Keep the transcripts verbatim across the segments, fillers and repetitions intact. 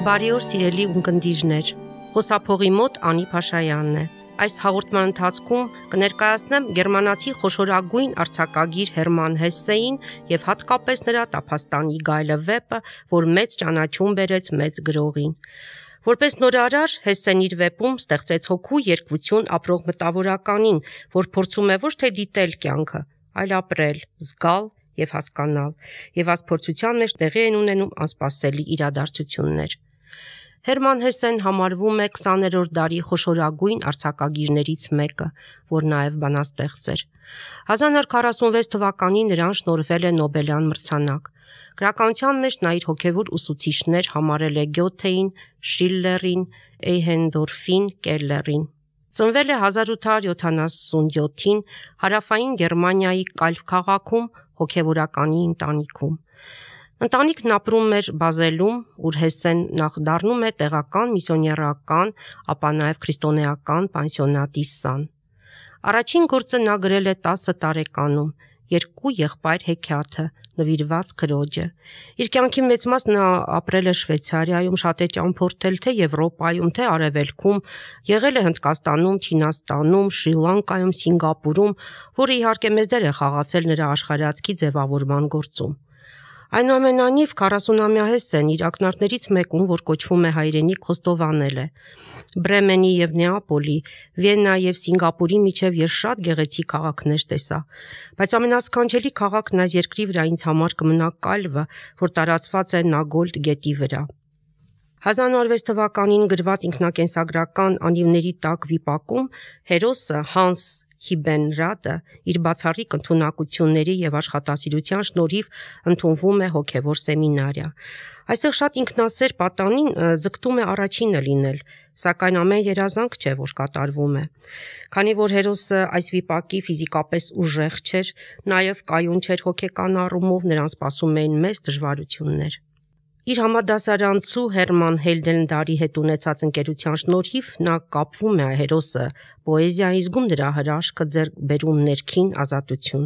Բարի օր սիրելի ունկնդիրներ, Խոսափողի մոտ Անի Փաշայանն է։ Այս հաղորդման ընթացքում կներկայացնեմ գերմանացի խոշորագույն արձակագիր Հերման Հեսսեին և հատկապես նրա «Տափաստանի գայլը» վեպը, որ մեծ ճանաչում բերեց մեծ գրողին։ Որպես նորարար Հեսսեն իր վեպում ստեղծեց հոգու երկվություն ապրող մտավորականին, որ փորձում է ոչ թե դիտել կյանքը, այլ ապրել, զգալ և հասկանալ, և այս փորձության մեջ տեղի են ունենում անսպասելի իրադարձություններ։ Հերման Հեսսեն համարվում է քսաներորդ դարի խոշորագույն արձակագիրներից մեկը, որ նաև բանաստեղծ էր։ հազար նոր քառասունվեց թվականին նրան շնորհվել է Նոբելյան մրցանակ։ Գրականության մեջ նա իր հոգևոր ուսուցիչներ համարել է Գյոթեին, Շիլլերին, Էյհենդորֆին, Կելլերին։ Ծնվել է հազար ութ հարյուր յոթանասունյոթին հարավային Գերմանիայի Կալվ քաղաքում հոգևորականի ընտանիքում։ Ընտանիքն ապրում էր Բազելում, ուր Հեսսեն նախ դառնում է տեղական միսիոներական, ապա նաև քրիստոնեական պանսիոնատի սան։ Առաջին գործը նա գրել է տասը տարեկանում «Երկու եղբայր հեքիաթը» նվիրված քրոջը։ Իր կյանքի մեծ մասը նա ապրել է Շվեյցարիայում, շատ է ճամփորդել թե Եվրոպայում, թե Արևելքում, եղել է Հնդկաստանում, Չինաստանում, Շրի Լանկայում, Սինգապուրում, որը իհարկե մեծ դեր է խաղացել նրա աշխարհայացքի ձևավորման գործում։ Այնուամենայնիվ քառասունամյա Հեսսեն իր ակնարկներից մեկում, որ կոչվում է հայրենիք, խոստովանել է. «Բրեմենի և Նեապոլի, Վիեննա և Սինգապուրի միջև ես շատ գեղեցիկ քաղաքներ տեսա, բայց ամենասքանչելի քաղաքն այս երկրի վրա ինձ համար կմնա Կալվը, որ տարածված է Նագոլդ գետի վրա»։ հազար նոր հարյուր վեց թվականին գրված ինքնակենսագրական «Անիվների տակ» վիպակում հերոսը Հանս Հիբենրատը իր բացառիկ ընդունակությունների և աշխատասիրության շնորհիվ ընդունվում է հոգևոր սեմինարիա։ Այստեղ շատ ինքնասեր պատանին ձգտում է առաջինը լինել, սակայն ամեն երազանք չէ, որ կատարվում է։ Քանի որ հերոսը այս վիպակի ֆիզիկապես ուժեղ չէր, նաև կայուն չէր հոգեկան առումով, նրան սպասում էին մեծ դժվարություններ։ Իր համադասարանցու Հերման Հեյլդենդալի հետ ունեցած ընկերության շնորհիվ նա կապվում է հերոսը պոեզիային, զգում նրա հրաշքը, ձեռք բերում ներքին ազատություն։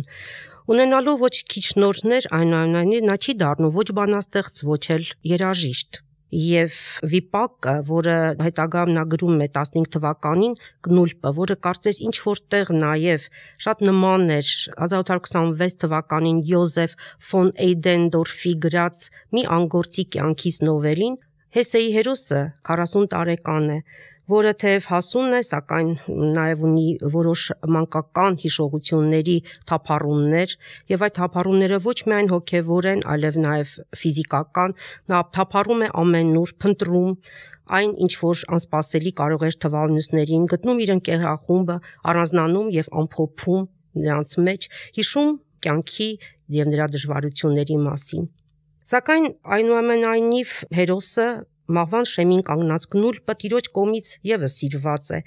Ունենալով ոչ քիչ շնորհներ, այնուամենայնիվ նա չի դառնում ոչ բանաստեղծ, ոչ էլ երաժիշտ։ Եվ վիպակը, որը հետագայում նա գրում է տասնհինգ թվականին, Կնուլպը, որը կարծես ինչ-որ տեղ նաև շատ նման էր հազար ութ հարյուր քսանվեց թվականին Յոզեֆ ֆոն Էյդենդորֆի գրած «Մի անգործի կյանքից» նովելին, Հեսսեի հերոսը քառասուն տարեկան է, որը թեև հասուն է, սակայն նաև ունի որոշ մանկական հիշողությունների թափառումներ, և այդ թափառումները ոչ միայն հոգևոր են, այլև նաև ֆիզիկական, նա թափառում է ամենուր, փնտրում այն, ինչ որ անսպասելի կարող էր թվալ մյուսներին, գտնում իր ընկերախումբը, առանձնանում և ամփոփում նրանց մեջ, հիշում կյանքի և նրա դժվարությունների մասին։ Սակայն այնուամենայնիվ հերոսը, մահվան շեմին կանգնած Կնուլպը, տիրոջ կողմից ևս սիրված է։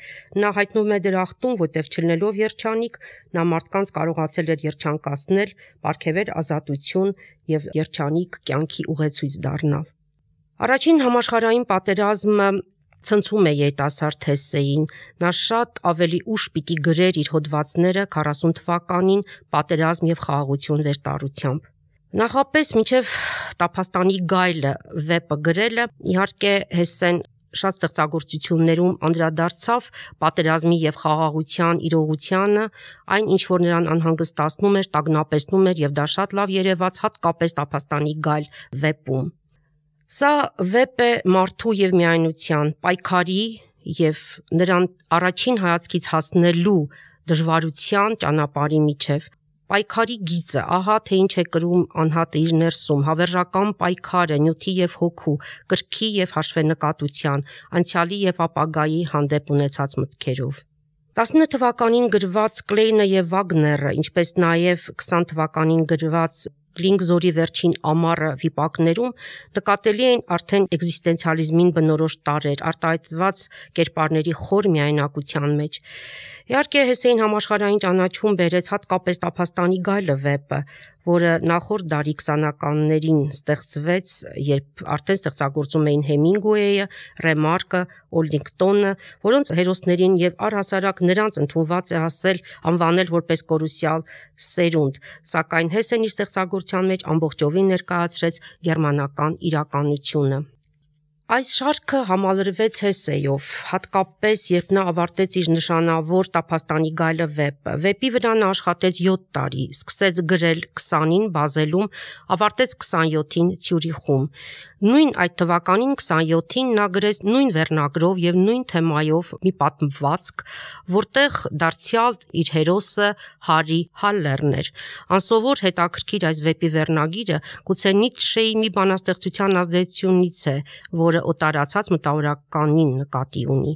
Նա հայտնվում է դրախտում, որտեղ չլինելով երջանիկ, նա մարդկանց կարողացել էր երջանկացնել, պարգևել ազատություն և երջանիկ կյանքի ուղեցույց դառնալ։ Առաջին համաշխարհային պատերազմը ցնցում է երիտասարդ Հեսսեին, նա շատ ավելի ուշ պիտի գրեր իր հոդվածները քառասուն թվականին «Պատերազմ և խաղաղություն» վերտառությամբ։ Նախապես մինչև «Տափաստանի գայլը» վեպը գրելը, իհարկե Հեսսեն շատ ստեղծագործություններում անդրադարձավ պատերազմի և խաղաղության իրողությանը, այն, ինչ որ նրան անհանգստացնում էր, տագնապեցնում էր, և դա շատ լավ երևաց հատկապես «Տափաստանի գայլ» վեպում։ Սա վեպ է մարդու և միայնության, պայքարի և նրան առաջին հայացքից հասնելու դժվարության ճանապարհի միջև։ Պայքարի գիծը, ահա թե ինչ է կրում անհատը իր ներսում, հավերժական պայքարը նյութի և հոգու, կրքի և հաշվենկատության, անցյալի և ապագայի հանդեպ ունեցած մտքերով։ տասնինը թվականին գրված Կլեյնը և Վագները, ինչպես նաև քսան թվականին գրված Կլինգզորի վերջին ամառը վիպակներում նկատելի էին արդեն էկզիստենցիալիզմին բնորոշ տարրեր, արտահայտված կերպարների խոր միայնակության մեջ։ Իհարկե Հեսսեին համաշխարհային ճանաչում բերեց հատկապես «Տափաստանի գայլը» վեպը, որը նախորդ դարի քսանականներին ստեղծվեց, երբ արդեն ստեղծագործում էին Հեմինգուեյը, Ռեմարկը, Օլինգտոնը, որոնց հերոսներին և առհասարակ նրանց ընդունված է հասել անվանել որպես կորուսյալ սերունդ, սակայն Հեսսեն իր ստեղծագործության մեջ ամբողջովին ներկայացրեց գերմանական իրականությունը։ Այս շարքը համալրվեց Հեսեյով, հատկապես երբ նա ավարտեց իր նշանավոր «Տափաստանի գայլը» վեպը։ Վեպի վրա նա աշխատեց յոթ տարի, սկսեց գրել քսանին Բազելում, ավարտեց քսանյոթին Ցյուրիխում։ Նույն այդ թվականին քսանյոթին նա գրեց նույն վերնագրով եւ նույն թեմայով մի պատմվածք, որտեղ դարձյալ իր հերոսը Հարի Հալլերն էր։ Անսովոր հետաքրքիր այս վեպի վերնագիրը գուցե Նիցշեի մի բանաստեղծության ազդեցությունից է, որը օտարացած մտավորականին նկատի ունի։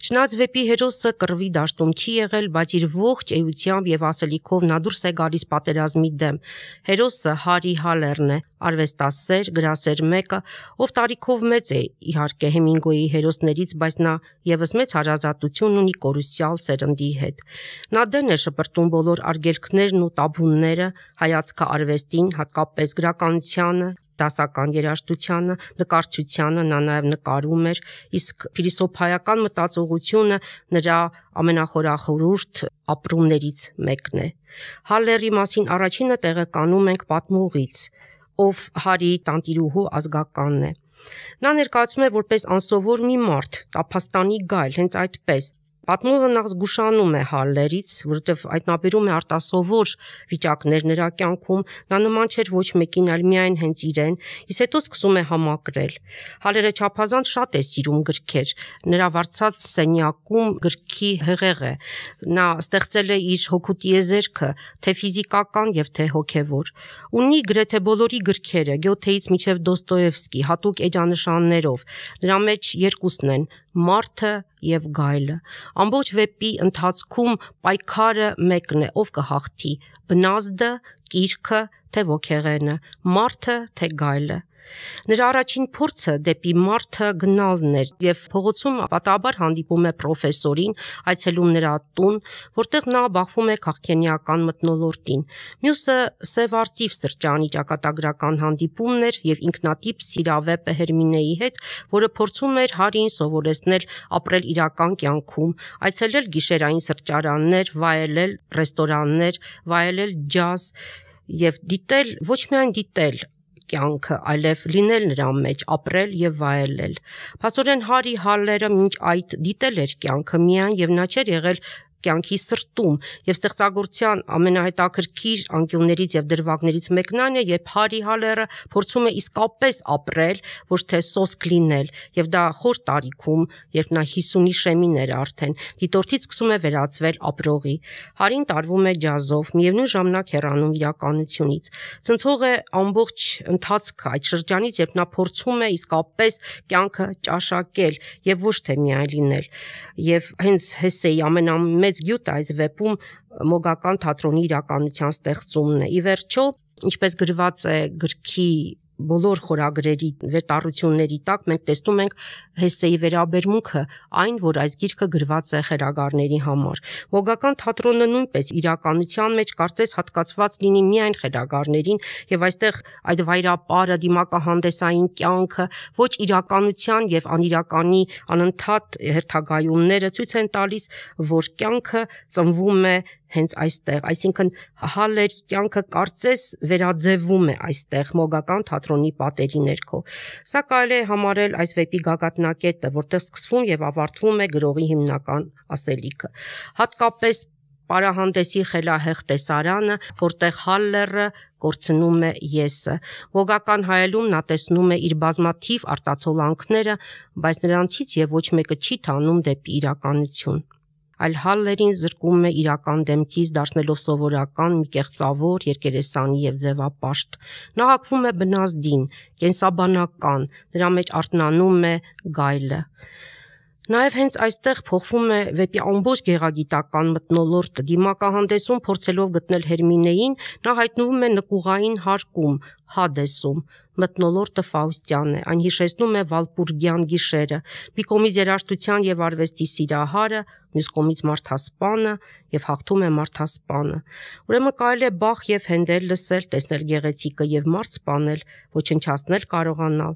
Չնայած վեպի հերոսը կռվի դաշտում չի եղել, բայց իր ողջ էությամբ եւ ասելիքով նա դուրս է գալիս պատերազմի դեմ։ Հերոսը Հարի Հալլերն է, արվեստասեր, գրասեր մեկը, ով տարիքով մեծ է իհարկե Հեմինգուեյի հերոսներից, բայց նա եւս մեծ հարազատություն ունի կորուսյալ սերնդի հետ։ Նա դեն է շպրտում բոլոր արգելքներն ու տաբուները, հայացքը արվեստին, հատկապես գրականությանը, դասական երաժշտությանը, նկարչությանը, նա նաև նկարում էր, իսկ փիլիսոփայական մտածողությունը նրա ամենախորախորհուրդ ապրումներից մեկն է։ Հալլերի մասին առաջինը տեղեկանում ենք պատմողից, ով Հարիի տանտիրուհու ազգականն է։ Նա ներկայացում է որպես անսովոր մի մարդ, տափաստանի գայլ, հենց այդպես։ Պատմողը նախ զգուշանում է Հալլերից, որովհետև այդ նաբերում է արտասովոր վիճակներ նրա կյանքում, նա նման չէր ոչ մեկին, այլ միայն հենց իրեն, իսկ հետո սկսում է համակրել։ Հալլերը չափազանց շատ է սիրում գրքեր, նրա վարձած սենյակում գրքի հեղեղ է։ Նա ստեղծել է իր հոգու տիեզերքը, թե ֆիզիկական եւ թե հոգեվոր։ Ունի գրեթե բոլորի գրքերը, Գյոթեից մինչև Դոստոևսկի, հատուկ էջանշաններով։ Նրա մեջ երկուսն են՝ մարդը եւ գայլը։ Ամբողջ վեպի ընթացքում պայքարը մեկն է, ով կհաղթի՝ բնազդը, կիրքը, թե ոգեղենը, մարդը, թե գայլը։ Նրա առաջին փորձը դեպի մարդը գնալն էր եւ փողոցում պատահաբար հանդիպում է պրոֆեսորին, այցելում նրա տուն, որտեղ նա բախվում է քաղաքենիական մթնոլորտին։ Մյուսը Սև արծիվ սրճարանի ճակատագրական հանդիպումն էր եւ ինքնատիպ սիրավեպը Հերմինեի հետ, որը փորձում էր Հարիին սովորեցնել ապրել իրական կյանքում, այցելել գիշերային սրճարաններ, վայելել ռեստորաններ, վայելել ջազ եւ դիտել, ոչ միայն դիտել կյանքը, այլև լինել նրա մեջ, ապրել եւ վայելել։ Փաստորեն Հարի Հալլերը մինչ այդ դիտել էր կյանքը միայն եւ նա չէր եղել կյանքի սրտում եւ ստեղծագործության ամենահետաքրքիր անկյուններից եւ դրվագներից մեկն այն է, երբ Հարի Հալլերը փորձում է իսկապես ապրել, ոչ թե սոսկ լինել, եւ դա խոր տարիքում, երբ նա հիսունի շեմին էր արդեն, դիտորդից սկսում է վերածվել ապրողի։ Հարին տարվում է ջազով, միևնույն ժամանակ հեռանում իրականությունից։ Ցնցող է ամբողջ ընթացքը այդ շրջանից, երբ նա փորձում է իսկապես կյանքը ճաշակել եւ ոչ թե միայն լինել։ Եվ հենց Հեսեի ամենամեծ մեծ գյուտը այս վեպում մոգական թատրոնի իրականության ստեղծումն է։ Ի վերջո, ինչպես գրված է գրքի բոլոր խորագրերի վերտառությունների տակ, մենք տեսնում ենք Հեսեի վերաբերմունքը այն, որ այս գիրքը գրված է խելագարների համար։ Մոգական թատրոնը նույնպես իրականության մեջ կարծես հատկացված լինի միայն խելագարներին, եւ այստեղ այդ վայրապարը, դիմակահանդեսային կյանքը, ոչ իրականության եւ անիրականի անընդհատ հերթագայումները ցույց են տալիս, որ կյանքը ծնվում է հենց այստեղ, այսինքն Հալլերի կյանքը կարծես վերաձևվում է այստեղ մոգական թատրոնի պատերի ներքո։ Սա կարելի է համարել այս վեպի գագաթնակետը, որտեղ սկսվում եւ ավարտվում է գրողի հիմնական ասելիքը։ Հատկապես պարահանդեսի խելահեղ տեսարանը, որտեղ Հալլերը կորցնում է եսը։ Մոգական հայելում նա տեսնում է իր բազմաթիվ արտացոլանքները, բայց նրանցից եւ ոչ մեկը չի տանում դեպի իրականություն։ Այլ Հալլերին զրկում է իրական դեմքից, դարձնելով սովորական, մի կեղծավոր, երկերեսանի եւ ձևապաշտ։ Նա հակվում է բնազդին, կենսաբանական, նրա մեջ արթնանում է գայլը։ Նաև հենց այստեղ փոխվում է վեպի ամբողջ գեղագիտական մթնոլորտը։ Դիմակահանդեսում փորձելով գտնել Հերմինեին, նա հայտնվում է նկուղային հարկում, Հադեսում։ Մթնոլորտը Ֆաուստյան է, այն հիշեցնում է Վալպուրգյան գիշերը, մի կողմից երաժշտության եւ արվեստի սիրահարը, մյուս կողմից մարդասպանը եւ հաղթում է մարդասպանը։ Ուրեմն կարելի է Բախ եւ Հենդել լսել, տեսնել գեղեցիկը եւ մարդ սպանել, ոչնչացնել կարողանալ։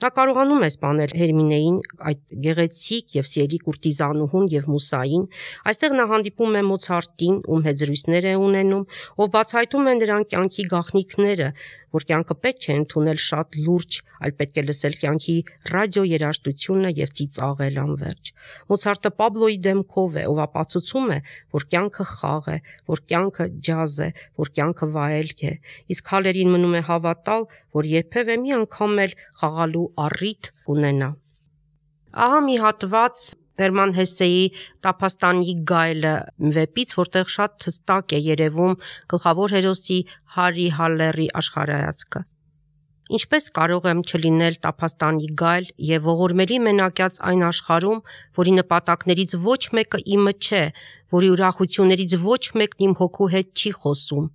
Նա կարողանում է սպանել Հերմինեին, այդ գեղեցիկ եւ սիրելի կուրտիզանուհուն եւ Մուսային։ Այստեղ նա հանդիպում է Մոցարտին, ում հետ զրույցներ է ունենում, ով բացահայտում է նրան կյանքի գաղտնիքները, որ կյանքը պետք չէ ընդունել շատ լուրջ, այլ պետք է լսել կյանքի ռադիո երաժշտությունը եւ ծիծաղել անverջ։ Մոցարտը Պաբլոյի դեմքով է, ով ապացուցում է, որ կյանքը խաղ է, որ կյանքը ջազ է, որ կյանքը վայելք է։ Իսկ Հալերին մնում է հավատալ, որ երբևէ մի անգամ էլ խաղալու առիթ ունենա։ Ահա մի հատված Հերման Հեսեի Տափաստանի գայլը վեպից, որտեղ շատ հստակ է երևում գլխավոր հերոսի Հարի Հալլերի աշխարհայացքը։ Ինչպես կարող եմ չլինել Տափաստանի գայլ եւ ողորմելի մենակյաց այն աշխարհում, որի նպատակներից ոչ մեկը իմը չէ, որի ուրախություններից ոչ մեկն իմ հոգու հետ չի խոսում։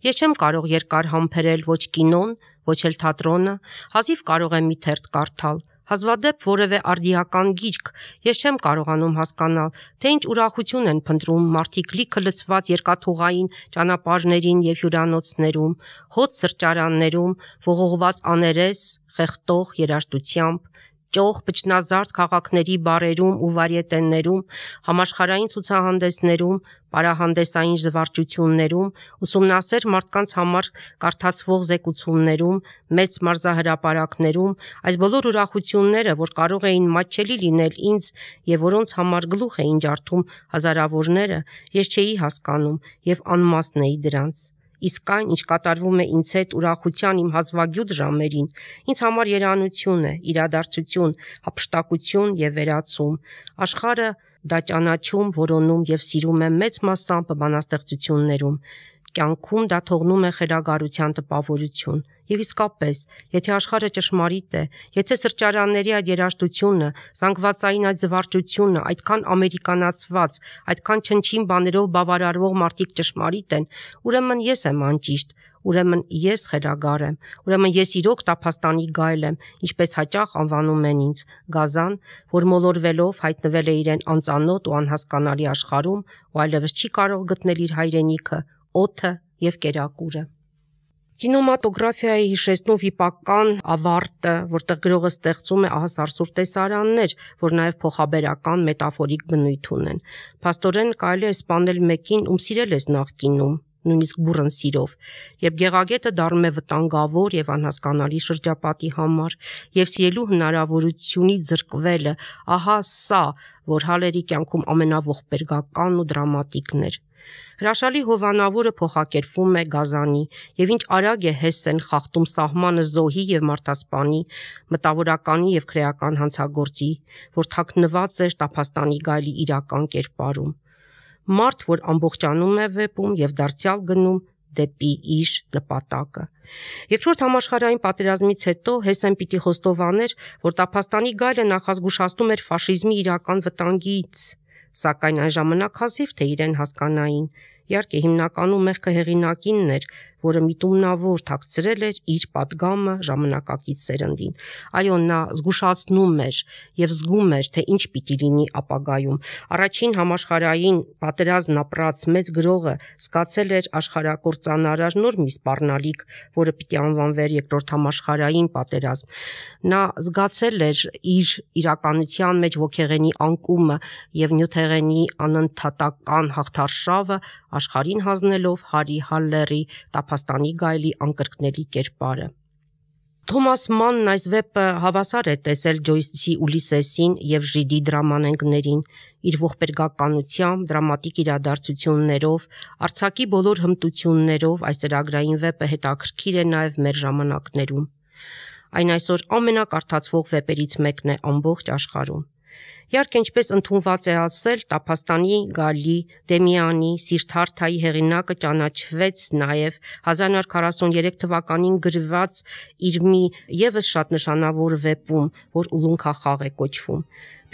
Ես չեմ կարող երկար համբերել ոչ կինոն, ոչ էլ թատրոնը, հազիվ կարող եմ մի թերթ կարդալ, հազվադեպ որևէ արդիական գիրք, ես չեմ կարողանում հասկանալ, թե ինչ ուրախություն են փնտրում մարդիկ լիքը լցված երկաթուղային ճանապարհներին եւ հյուրանոցներում, հոտ սրճարաններում, ողողված աներես, խեղդող երաժշտությամբ, ճոխ բջնազարդ քաղաքների բարերում ու վարիետեններում, համաշխարհային ցուցահանդեսներում, պարահանդեսային զվարճություններում, ուսումնասեր մարդկանց համար կարդացվող զեկուցումներում, մեծ մարզահրապարակներում, այս բոլոր ուրախությունները, որ կարող էին մատչելի լինել ինձ եւ որոնց համար գլուխ էին ջարդում հազարավորները, ես չէի հասկանում եւ անմասն էի դրանց։ Իսկ այն, ինչ կատարվում է ինձ հետ ուրախության իմ հազվագյուտ ժամերին, ինձ համար երանություն է, իրադարձություն, հափշտակություն եւ վերացում։ Աշխարհը դա ճանաչում, որոնում եւ սիրում է մեծ մասամբ բանաստեղծություններում։ Կյանքում դա թողնում է խելագարության տպավորություն։ Եվ իսկապես, եթե աշխարհը ճշմարիտ է, եթե սրճարանների այդ երաժշտությունը, զանգվածային այդ զվարճությունը, այդքան ամերիկանացված, այդքան չնչին բաներով բավարարվող մարդիկ ճշմարիտ են, ուրեմն ես եմ անճիշտ, ուրեմն ես խելագար եմ, ուրեմն ես իրոք Տափաստանի գայլ եմ, ինչպես հաճախ անվանում են ինձ, գազան, որ մոլորվելով հայտնվել է իրեն անծանոթ ու անհասկանալի աշխարհում ու այլևս չի կարող գտնել իր հայրենիքը, օդը եւ կերակուրը։ Կինեմատոգրաֆիայի հիշեցնող վիպական ավարտը, որտեղ գրողը ստեղծում է ահասարսուր տեսարաններ, որ նաև փոխաբերական մետաֆորիկ բնույթ ունեն։ Փաստորեն կարելի է սպանել մեկին, ում սիրել ես նախկինում, նույնիսկ բուռն սիրով, երբ գեղագետը դառնում է վտանգավոր եւ անհասկանալի շրջապատի համար, եւ սիրելու հնարավորությունից զրկվելը, ահա սա, որ Հալերի կյանքում ամենաողբերգական ու դրամատիկն էր։ Հրաշալի հովանավորը փոխակերպվում է գազանի, եւ ինչ արագ է Հեսեն խախտում սահմանը զոհի եւ մարդասպանի, մտավորականի եւ քրեական հանցագործի, որ թաքնված էր Տափաստանի գայլի իրական կերպարում։ Մարդ, որ ամբողջանում է վեպում եւ դարձյալ գնում դեպի իր նպատակը։ Երկրորդ համաշխարհային պատերազմից հետո Հեսեն պիտի խոստովաներ, որ Տափաստանի գայլը նախազգուշացնում էր ֆաշիզմի իրական վտանգից, սակայն այն ժամանակ հազիվ թե իրեն հասկանային։ Իհարկե հիմնականում մեղքը հեղինակինն էր, որը միտումնավոր թաքցրել էր իր պատգամը ժամանակակից սերնդին։ Այո, նա զգուշացնում էր եւ զգում էր, թե ինչ պիտի լինի ապագայում։ Առաջին համաշխարհային պատերազմն ապրած մեծ գրողը զգացել էր աշխարհակործանարար նոր մի սպառնալիք, որը պիտի անվանվեր երկրորդ համաշխարհային պատերազմ։ Նա զգացել էր իր իրականության մեջ ոգեղենի անկումը եւ նյութեղենի անընդհատական հաղթարշավը աշխարհին հանձնելով Հարի Հալլերի Տափաստանի գայլի անկրկնելի կերպարը։ Թոմաս Մանն այս վեպը հավասար է տեսել Ջոյսի Ուլիսեսին եւ Ժիդի դրամանենգներին, իր ողբերգականությամբ, դրամատիկ իրադարձություններով, արձակի բոլոր հմտություններով այս ծրագրային վեպը հետաքրքիր է նաեւ մեր ժամանակներում։ Այն այսօր ամենակարդացվող վեպերից մեկն է ամբողջ աշխարհում։ Իհարկե, ինչպես ընդունված է ասել, Տափաստանի գայլի Դեմիանի Սիրթարթայի հեղինակը ճանաչվեց նաև հազար նույն հարյուր քառասուններեք թվականին գրված իր մի եւս շատ նշանավոր վեպում, որ Ուլունքախաղ է կոչվում։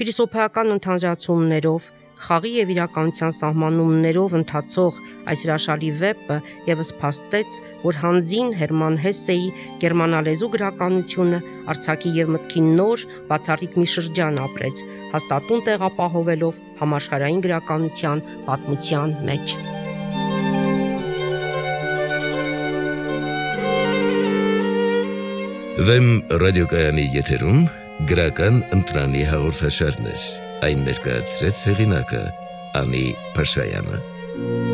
Փիլիսոփայական ընդհանրացումներով, խաղի եւ իրականության սահմանումներով ընթացող այս հրաշալի վեպը եւս փաստեց, որ հանձին Հերման Հեսեի գերմանալեզու գրականությունը արձակի եւ մտքի նոր բացառիկ մի շրջան ապրեց, հաստատուն տեղապահովելով համաշխարհային գրականության պատմության մեջ։ Վեմ ռադիոկայանի եթերում գրական ընտրանի հաղորդաշարներ, այն ներկայացրեց հեղինակը Անի Փաշայանը։